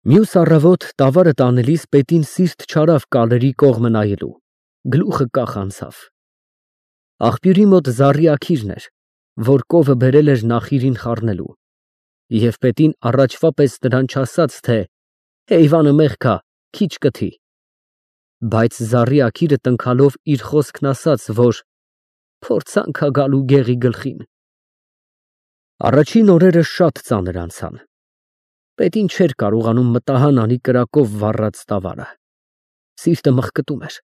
Մյուս առավոտ տավարը տանելիս պետին սիրտ չարավ կալերի կողմը նայելու, գլուխը կախ անցավ։ Աղբյուրի մոտ զառի աքիրն էր, որ կովը բերել էր նախիրին խառնելու, և պետին առաջվա պես նրան չասաց, թե «Հեյվանը մեղք ա, քիչ կթի», բայց զառի աքիրը տնքալով իր խոսքն ասաց, որ «փորձանք ա գալու գեղի գլխին»։ Առաջին օրերը շատ ծանր անցան։ Պետին չէր կարողանում մտահան անի կրակով վառած տավարը։ Սիրտը մղկտում էր,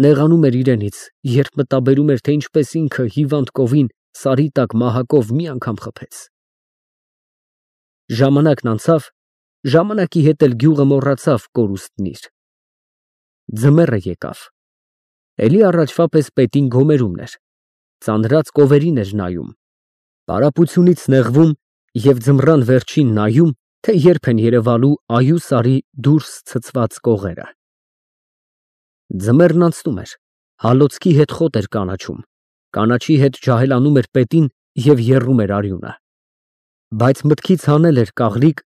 նեղանում էր իրենից, երբ մտաբերում էր, թե ինչպես ինքը հիվանդ կովին սարի տակ մահակով մի անգամ խփեց։ Ժամանակն անցավ, ժամանակի հետ էլ գյուղը մոռացավ կորուստն իր։ Ձմեռը եկավ։ Էլի առաջվա պես պետին գոմերումն էր, ծանրած կովերին էր նայում, պարապությունից նեղվում և ձմռան վերջին նայում, թե երբ են երևալու այու սարի դուրս ցցված կողերը։ Ձմեռն անցնում էր, հալոցքի հետ խոտ էր կանաչում, կանաչի հետ ջահելանում էր պետին և եռում էր արյունը, բայց մտքից հանել էր կաղլիկ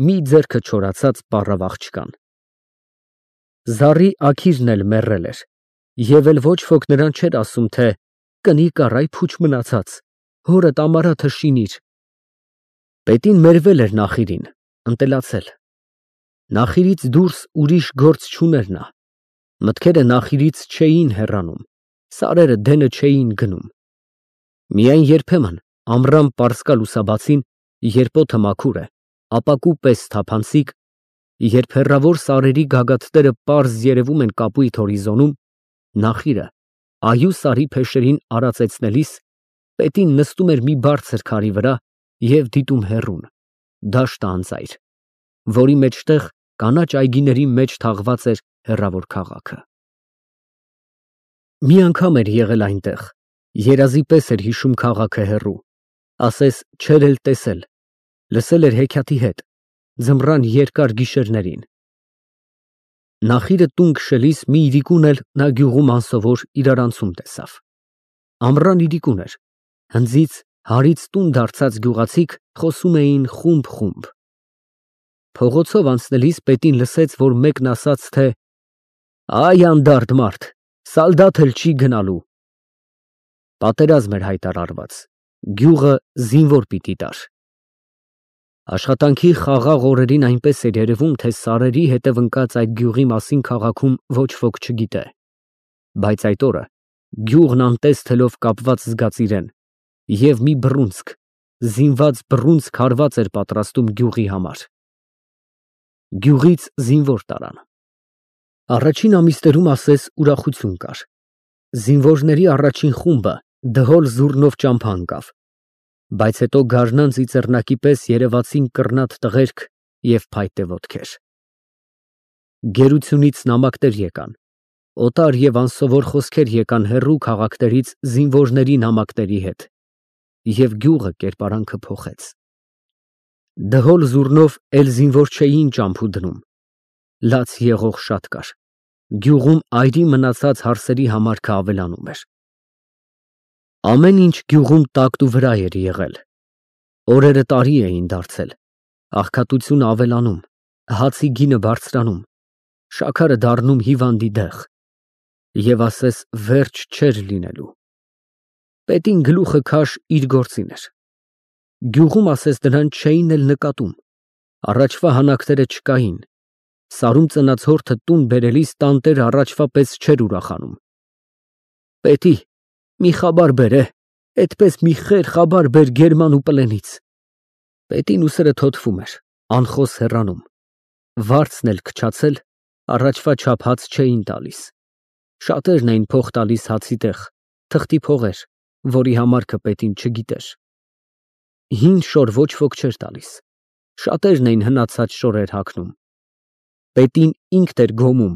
մի ձեռքը չորացած պառավ աղջկան։ Զառի աքիրն էլ մեռել էր, և էլ ոչ ոք նրան չէր ասում, թե «Կնիկ առ, այ փուչ մնացած, հորդ ամարաթը շինիր»։ Պետին մերվել էր նախիրին, ընտելացել։ Նախիրից դուրս ուրիշ գործ չուներ նա, մտքերը նախիրից չէին հեռանում, սարերը դենը չէին գնում։ Միայն երբեմն ամռան պարսկա լուսաբացին, երբ օդը մաքուր է, ապակու պես թափանցիկ, երբ հեռավոր սարերի գագաթները պարզ երևում են կապույտ հորիզոնում, նախիրը այու սարի փեշերին արածեցնելիս, պետին նստում էր մի բարձր քարի վրա և դիտում հեռուն, դաշտը անծայր, որի մեջտեղ կանաչ այգիների մեջ թաղված էր հեռավոր քաղաքը։ Մի անգամ էր եղել այնտեղ, երազի պես էր հիշում քաղաքը հեռու, ասես չէր էլ տեսել, լսել էր հեքիաթի հետ, ձմռան երկար գիշերներին։ Նախիրը տուն քշելիս մի իրիկուն էլ նա գյուղում անսովոր իրարանցում տեսավ։ Ամռան իրիկուն էր, հնձից, հարից տուն դարձած գյուղացիք խոսում էին խումբ։ Փողոցով անցնելիս պետին լսեց, որ մեկն ասաց, թե «Այ անդարդ մարդ, սալդաթ էլ չի գնալու»։ Պատերազմ էր հայտարարված, գյուղը զինվոր պիտի տար։ Աշխատանքի խաղաղ օրերին այնպես էր երևում, թե սարերի հետև ընկած այդ գյուղի մասին քաղաքում ոչ ոք չգիտե, բայց այդ օրը գյուղն անտես թելով կապված զգաց իրեն, և մի բռունցք, զինված բռունցք հարված էր պատրաստում գյուղի համար։ Գյուղից զինվոր տարան։ Առաջին ամիսներում ասես ուրախություն կար։ Զինվորների առաջին խումբը դհոլ զուռնով ճամփա ընկավ, բայց հետո գարնան ծիծեռնակի պես երևացին կռնատ տղերք և փայտե ոտքեր։ Գերությունից նամակներ եկան, օտար և անսովոր խոսքեր եկան հեռու քաղաքներից զինվորների նամակների հետ, և գյուղը կերպարանքը փոխեց։ Դհոլ զուռնով էլ զինվոր չէին ճամփու դնում, լաց եղող շատ կար, գյուղում այրի մնացած հարսերի համարքը ավելանում էր։ Ամեն ինչ գյուղում տակտուվրա էր եղել, օրերը տարի էին դարձել, աղքատությունը ավելանում, հացի գինը բարձրանում, շաքարը դառնում հիվանդի դեղ, և ասես վերջ չէր լինելու։ Պետին գլուխը քաշ իր գործին էր։ Գյուղում ասես նրան չէին էլ նկատում, առաջվա հանակները չկային, սարում ծնած հորթը տուն բերելիս տանտերը առաջվա պես չէր ուրախանում։ «Պետի, մի խաբար բեր, էդպես մի խեր խաբար բեր Գերման ու Պլենից»։ Պետին ուսերը թոթվում էր, անխոս հեռանում, վարձն էլ քչացել, առաջվա չափ հաց չէին տալիս, շատերն էին փող տալիս հացի տեղ, թղթի փողեր, որի համարքը պետին չգիտեր։ Հին շոր ոչ ոք չէր տալիս, շատերն էին հնացած շորեր հագնում։ Պետին ինքն էր գոմում,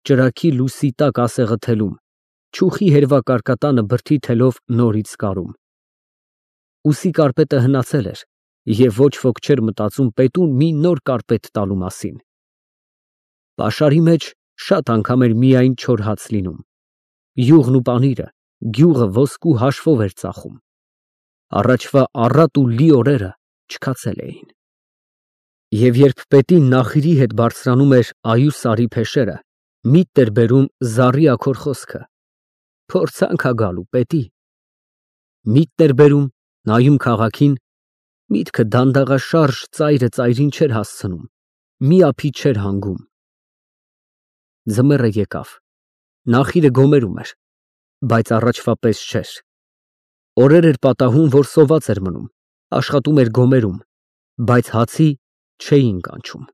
ճրագի լուսի տակ ասեղը թելում, չուխի հերվա կարկատանը բրդի թելով նորից կարում։ Ուսի կարպետը հնացել էր, և ոչ ոք չէր մտածում պետուն մի նոր կարպետ տալու մասին։ Պաշարի մեջ շատ անգամ էր միայն չոր հաց լինում։ Յուղն ու պանիրը, գյուղը ոսկու հաշվով էր ծախում։ Առաջվա առատ ու լի օրերը չքացել էին։ Եվ երբ պետին նախիրի հետ բարձրանում էր այու սարի փեշերը, միտք էր բերում զառի աքոր խոսքը. «Փորձանք ա գալու, պետի»։ Միտք էր բերում, նայում քաղաքին, միտքը դանդաղաշարժ ծայրը ծայրին չէր հասցնում, մի ափի չէր հանգում։ Ձմեռը եկավ, նախիրը գոմերում էր, բայց առաջվա պես չէր։ Օրեր էր պատահում, որ սոված էր մնում, աշխատում էր գոմերում, բայց հացի չէին կանչում։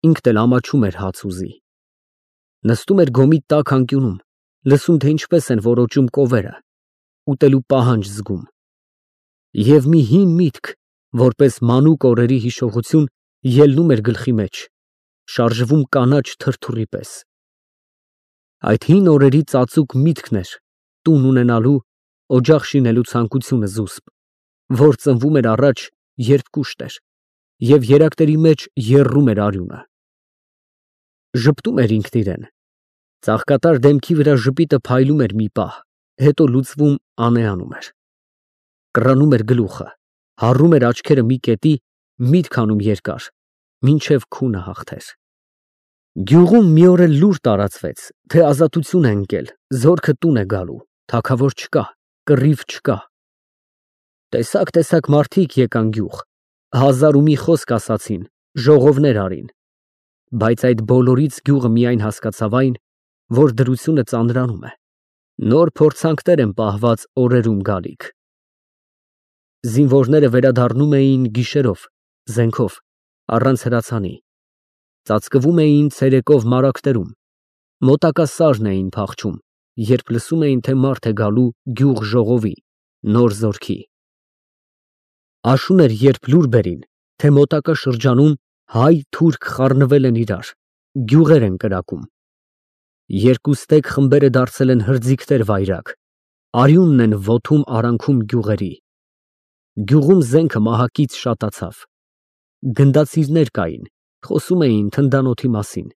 Ինքն էլ ամաչում էր հաց ուզի։ Նստում էր գոմի տաք անկյունում, լսում, թե ինչպես են որոճում կովերը, ուտելու պահանջ զգում։ Եվ մի հին միտք, որպես մանուկ օրերի հիշողություն, ելնում էր գլխի մեջ, շարժվում կանաչ թրթուրի պես։ Այդ հին օրերի ծածուկ միտքն էր տուն ունենալու, օջախ շինելու ցանկությունը զուսպ, որ ծնվում էր առաջ, երբ կուշտ էր, և երակների մեջ եռում էր արյունը։ Ժպտում էր ինքն իրեն, ծաղկատար դեմքի վրա ժպիտը փայլում էր մի պահ, հետո լուծվում անեանում էր։ Կռանում էր գլուխը, հառում էր աչքերը մի կետի, միտք անում երկար, մինչև քունը հաղթեր։ Գյուղում մի օր էլ լուր տարածվեց, թե ազատություն է ընկել, զորքը տուն է գալու, թագավոր չկա, կռիվ չկա։ Տեսակ մարդիկ եկան գյուղ, հազար ու մի խոսք ասացին, ժողովներ արին, բայց այդ բոլորից գյուղը միայն հասկացավ այն, որ դրությունը ծանրանում է, նոր փորձանքներ են պահված օրերում գալիք։ Զինվորները վերադառնում էին գիշերով, զենքով, առանց հրացանի, ծածկվում էին ցերեկով մարակներում, մոտակա սարն էին փախչում, երբ լսում էին, թե մարդ է գալու գյուղ ժողովի, նոր զորքի։ Աշուն էր, երբ լուր բերին, թե մոտակա շրջանում հայ-թուրք խառնվել են իրար, գյուղեր են կրակում։ Երկու ստեկ խմբերը դարձել են հրձիգներ վայրագ, արյունն են ոտում արանքում գյուղերի։ Գյուղում զենքը մահակից շատացավ։ Գնդացիրներ կային, խոսում էին թնդանոթի մասին։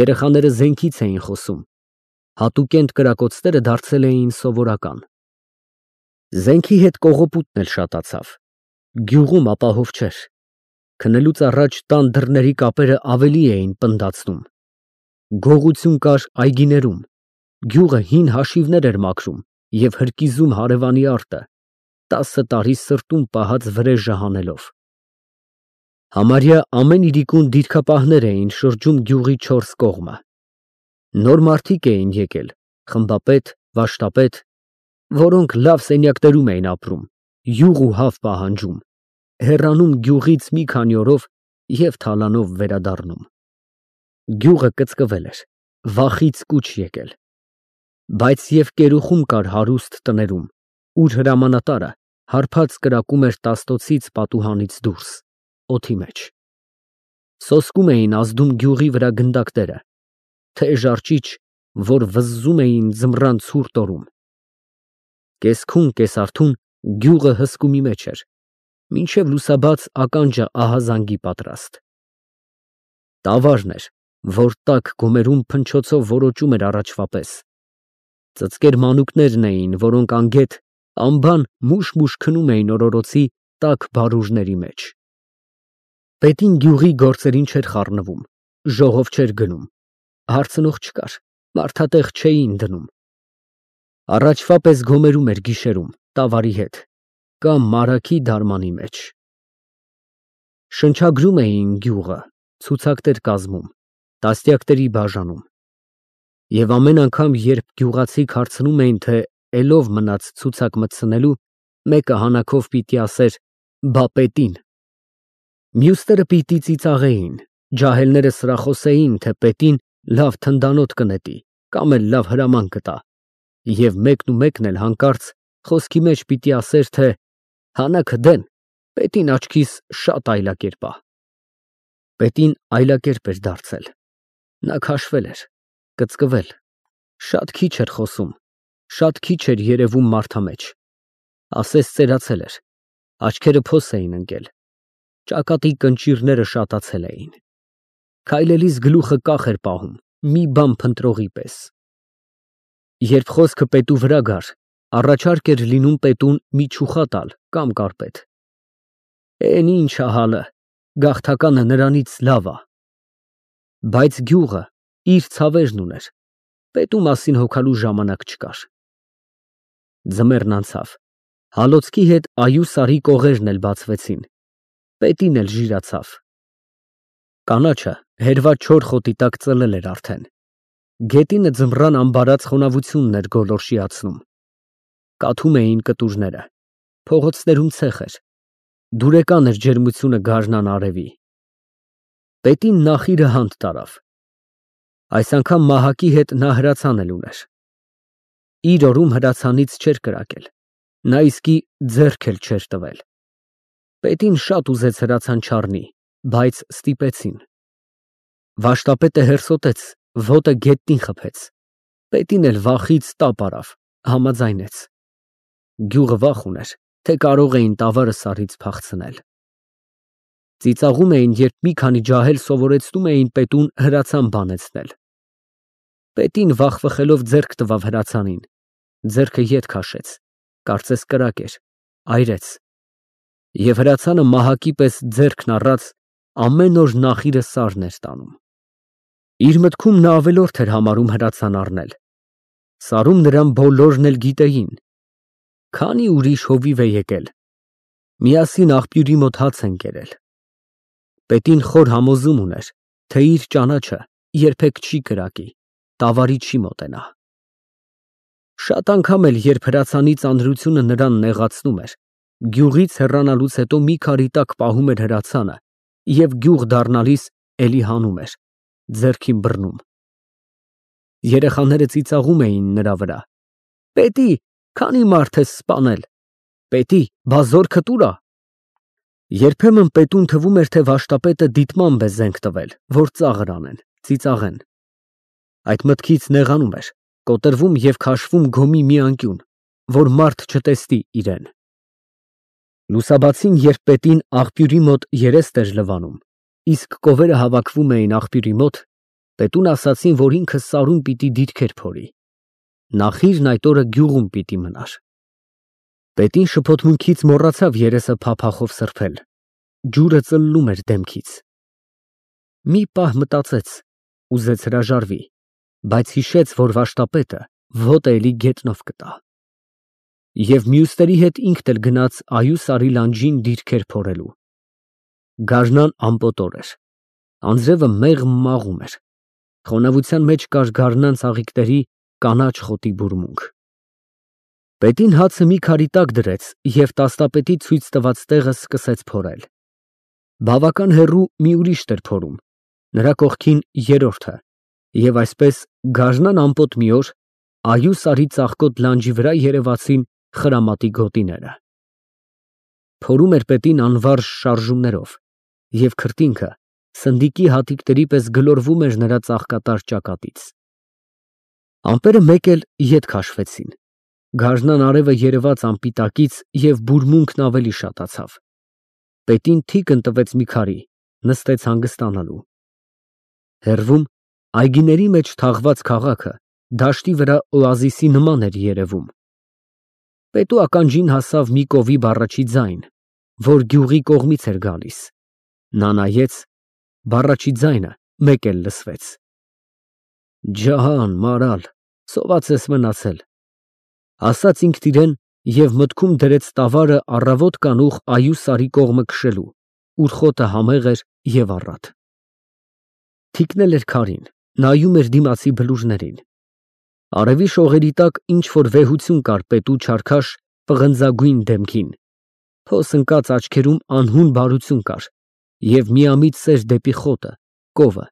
Երեխաները զենքից էին խոսում, հատուկենտ կրակոցները դարձել էին սովորական։ Զենքի հետ կողոպուտն էլ շատացավ։ Գյուղում ապահով չէր։ Քնելուց առաջ տան դռների կապերը ավելի էին պնդացնում։ Գողություն կար այգիներում, գյուղը հին հաշիվներ էր մաքրում և հրկիզում հարևանի արտը, 10 տարի սրտում պահած վրեժը հանելով։ Համարյա ամեն իրիկուն դիրքապահներ էին շրջում գյուղի 4 կողմը։ Նոր մարդիկ էին եկել, խմբապետ, վաշտապետ, որոնք լավ սենյակներում էին ապրում, յուղ ու հավ պահանջում, հեռանում գյուղից մի քանի օրով և թալանով վերադառնում։ Գյուղը կծկվել էր, վախից կուչ եկել։ Բայց և կերուխում կար հարուստ տներում, ուր հրամանատարը հարբած կրակում էր տաստոցից պատուհանից դուրս, օդի մեջ։ Սոսկում էին ազդում գյուղի վրա գնդակները, թեժ արջիչ, որ վզզում էին ձմռան ցուրտ օրում։ Կես քուն, կես արթուն գյուղը հսկումի մեջ էր, մինչև լուսաբաց ականջը ահազանգի պատրաստ։ Տավարն էր, որ տաք գոմերում փնչոցով որոճում էր առաջվա պես։ Ծծկեր մանուկներն էին, որոնք անգետ անբան մուշ-մուշ քնում էին օրորոցի տաք բարուրների մեջ։ Պետին գյուղի գործերին չէր խառնվում, ժողով չէր գնում, հարցնող չկար, մարդատեղ չէին դնում։ Առաջվա պես գոմերում էր գիշերում, տավարի հետ, կամ մարագի դարմանի մեջ։ Շնչագրում էին գյուղը, ցուցակներ կազմում, տասնյակների բաժանում։ Եվ ամեն անգամ, երբ գյուղացիք հարցնում էին, թե էլով մնաց ցուցակ մտցնելու, մեկը հանաքով պիտի ասեր. «Բա պետին»։ Մյուսները պիտի ծիծաղեին, ջահելները սրախոսեին, թե պետին լավ թնդանոթ կնետի կամ էլ լավ հրաման կտա, և մեկն էլ հանկարծ խոսքի մեջ պիտի ասեր, թե «Հանաքը դեն, պետին աչքիս շատ այլակերպ ա»։ Պետին այլակերպ էր դարձել։ Նա քաշվել էր, կծկվել, շատ քիչ էր խոսում, շատ քիչ էր երևում մարդամեջ, ասես ծերացել էր, աչքերը փոս էին ընկել, ճակատի կնճիռները շատացել էին։ Քայլելիս գլուխը կախ էր պահում, մի բան փնտրողի պես։ Երբ խոսքը պետու վրա գար, առաջարկ էր լինում պետուն մի չուխա տալ կամ կարպետ։ «Էն ինչ ա հալը, գաղթականը նրանից լավ է։ Բայց գյուղը իր ցավերն ուներ, պետու մասին հոգալու ժամանակ չկար։ Ձմեռն անցավ, հալոցքի հետ այու սարի կողերն էլ բացվեցին, պետին էլ ժիրացավ։ Կանաչը հերված չոր խոտի տակ ծլել էր արդեն, գետինը ձմռան ամբարած խոնավությունն էր գոլորշիացնում, կաթում էին կտուրները, փողոցներում ցեխ էր, դուրեկան էր ջերմությունը գարնան արևի։ Պետին նախիրը հանդ տարավ, այս անգամ մահակի հետ նա հրացան էլ ուներ։ Իր օրում հրացանից չէր կրակել, նա իսկի ձեռք էլ չէր տվել։ Պետին շատ ուզեց հրացան չառնի, բայց ստիպեցին։ Վաշտապետը հերսոտեց, ոտը գետնին խփեց, պետին էլ վախից տապ արավ, համաձայնեց։ Գյուղը վախ ուներ, թե կարող էին տավարը սարից փախցնել։ Ծիծաղում էին, երբ մի քանի ջահել սովորեցնում էին պետուն հրացան բանեցնել։ Պետին վախվխելով ձեռք տվավ հրացանին, ձեռքը ետ քաշեց, կարծես կրակ էր, այրեց, և հրացանը մահակի պես ձեռքն առած ամեն օր նախիրը սարն էր տանում։ Իր մտքում նա ավելորդ էր համարում հրացան առնել։ Սարում նրան բոլորն էլ գիտեին։ Քանի ուրիշ հովիվ է եկել, միասին աղբյուրի մոտ հաց են կերել։ Պետին խոր համոզում ուներ, թե իր ճանաչը երբեք չի կրակի, տավարի չի մոտենա։ Շատ անգամ էլ, երբ հրացանի ծանրությունը նրան նեղացնում էր, գյուղից հեռանալուց հետո մի քարի տակ պահում էր հրացանը և գյուղ դառնալիս էլի հանում էր, ձեռքին բռնում։ Երեխաները ծիծաղում էին նրա վրա. «Պետի, քանի մարդ ես սպանել, պետի, բա զորքդ ուր ա»։ Երբեմն պետուն թվում էր, թե վաշտապետը դիտմամբ է զենք տվել, որ ծաղր անեն, ծիծաղեն։ Այդ մտքից նեղանում էր, կոտրվում և քաշվում գոմի մի անկյուն, որ մարդ չտեսնի իրեն։ Լուսաբացին, երբ պետին աղբյուրի մոտ երեստ էր լվանում, իսկ կովերը հավաքվում էին աղբյուրի մոտ, պետուն ասացին, որ ինքը սարում պիտի դիրքեր փորի, նախիրն այդ օրը գյուղում պիտի մնար։ Պետին շփոթմունքից մոռացավ երեսը փափախով սրբել, ջուրը ծլլում էր դեմքից։ Մի պահ մտածեց, ուզեց հրաժարվի, բայց հիշեց, որ վաշտապետը ոտը էլի գետնով կտա։ Եվ մյուսների հետ ինքն էլ գնաց այու սարի լանջին դիրքեր փորելու։ Գարնան ամպոտոր էր, անձրևը մեղմ մաղում էր, խոնավության մեջ կար գարնան ծաղիկների կանաչ խոտի բուրմունք։ Պետին հացը մի քարի տակ դրեց և տասնապետի ցույց տված տեղը սկսեց փորել։ Բավական հեռու մի ուրիշ էր փորում, նրա կողքին երրորդը, և այսպես գարնան ամպոտ մի օր այու սարի ծաղկոտ լանջի վրա երևացին խրամատի գոտիները։ Փորում էր պետին անվարժ շարժումներով, և քրտինքը սնդիկի հատիկների պես գլորվում էր նրա ծաղկատար ճակատից։ Ամպերը մեկ էլ ետ քաշվեցին, գարնան արևը երևաց անպիտակից և բուրմունքն ավելի շատացավ։ Պետին թիկն տվեց մի քարի, նստեց հանգստանալու։ Հեռվում այգիների մեջ թաղված քաղաքը դաշտի վրա օազիսի նման էր երևում։ Պետու ականջին հասավ մի կովի բառաչի ձայն, որ գյուղի կողմից էր գալիս։ Նա նայեց, բառաչի ձայնը մեկ էլ լսվեց. «Ջահան, մարալ, սոված ես մնացել», ասաց ինքն իրեն և մտքում դրեց տավարը առավոտ կանուխ այու սարի կողմը քշելու, ուր խոտը համեղ էր և առատ։ Թիկնել էր քարին, նայում էր դիմացի բլուրներին։ Արևի շողերի տակ ինչ-որ վեհություն կար պետու չարքաշ պղնձագույն դեմքին, փոս ընկած աչքերում անհուն բարություն կար և միամիտ սեր դեպի խոտը, կովը,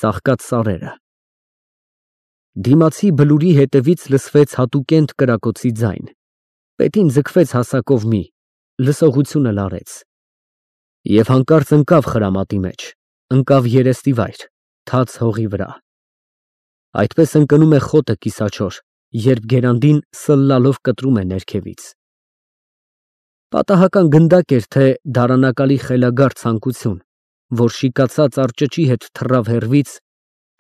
ծաղկած սարերը։ Դիմացի բլուրի հետևից լսվեց հատուկենտ կրակոցի ձայն։ Պետին ձգվեց հասակով մի, լսողությունը լարեց։ Եվ հանկարծ ընկավ խրամատի մեջ, ընկավ երեստի վայր, թաց հողի վրա։ Այդպես ընկնում է խոտը կիսաչոր, երբ գերանդին սլլալով կտրում է ներքևից։ Պատահական գնդակ էր, թե դարանակալի խելագար ցանկություն, որ շիկացած արճճի հետ թռավ հեռվից,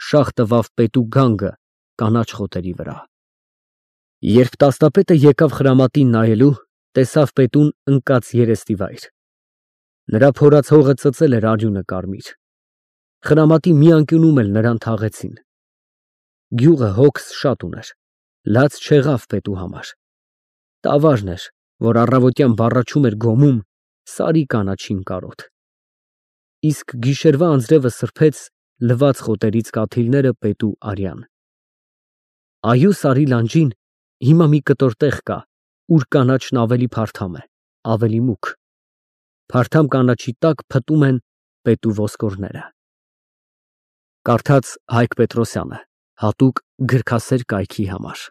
շաղ տվավ պետու գանգը կանաչ խոտերի վրա։ Երբ տասնապետը եկավ խրամատին նայելու, տեսավ պետուն ընկած երեստի վայր։ Նրա փորած հողը ծծել էր արյունը կարմիր։ Խրամատի մի անկյունում էլ նրան թաղեցին։ Գյուղը հոգս շատ ուներ, լաց չեղավ պետու համար։ Տավարն էր, որ առավոտյան բառաչում էր գոմում սարի կանաչին կարոտ։ Իսկ գիշերվա անձրևը սրբեց լվաց խոտերից կաթիլները պետու արյան։ Այո սարի լանջին հիմա մի կտոր տեղ կա, ուր կանաչն ավելի փարթամ է, ավելի մուգ։ Փարթամ կանաչի տակ փտում են պետու ոսկորները։ Կարդաց Հայկ Պետրոսյանը, հատուկ գրքասեր կայքի համար։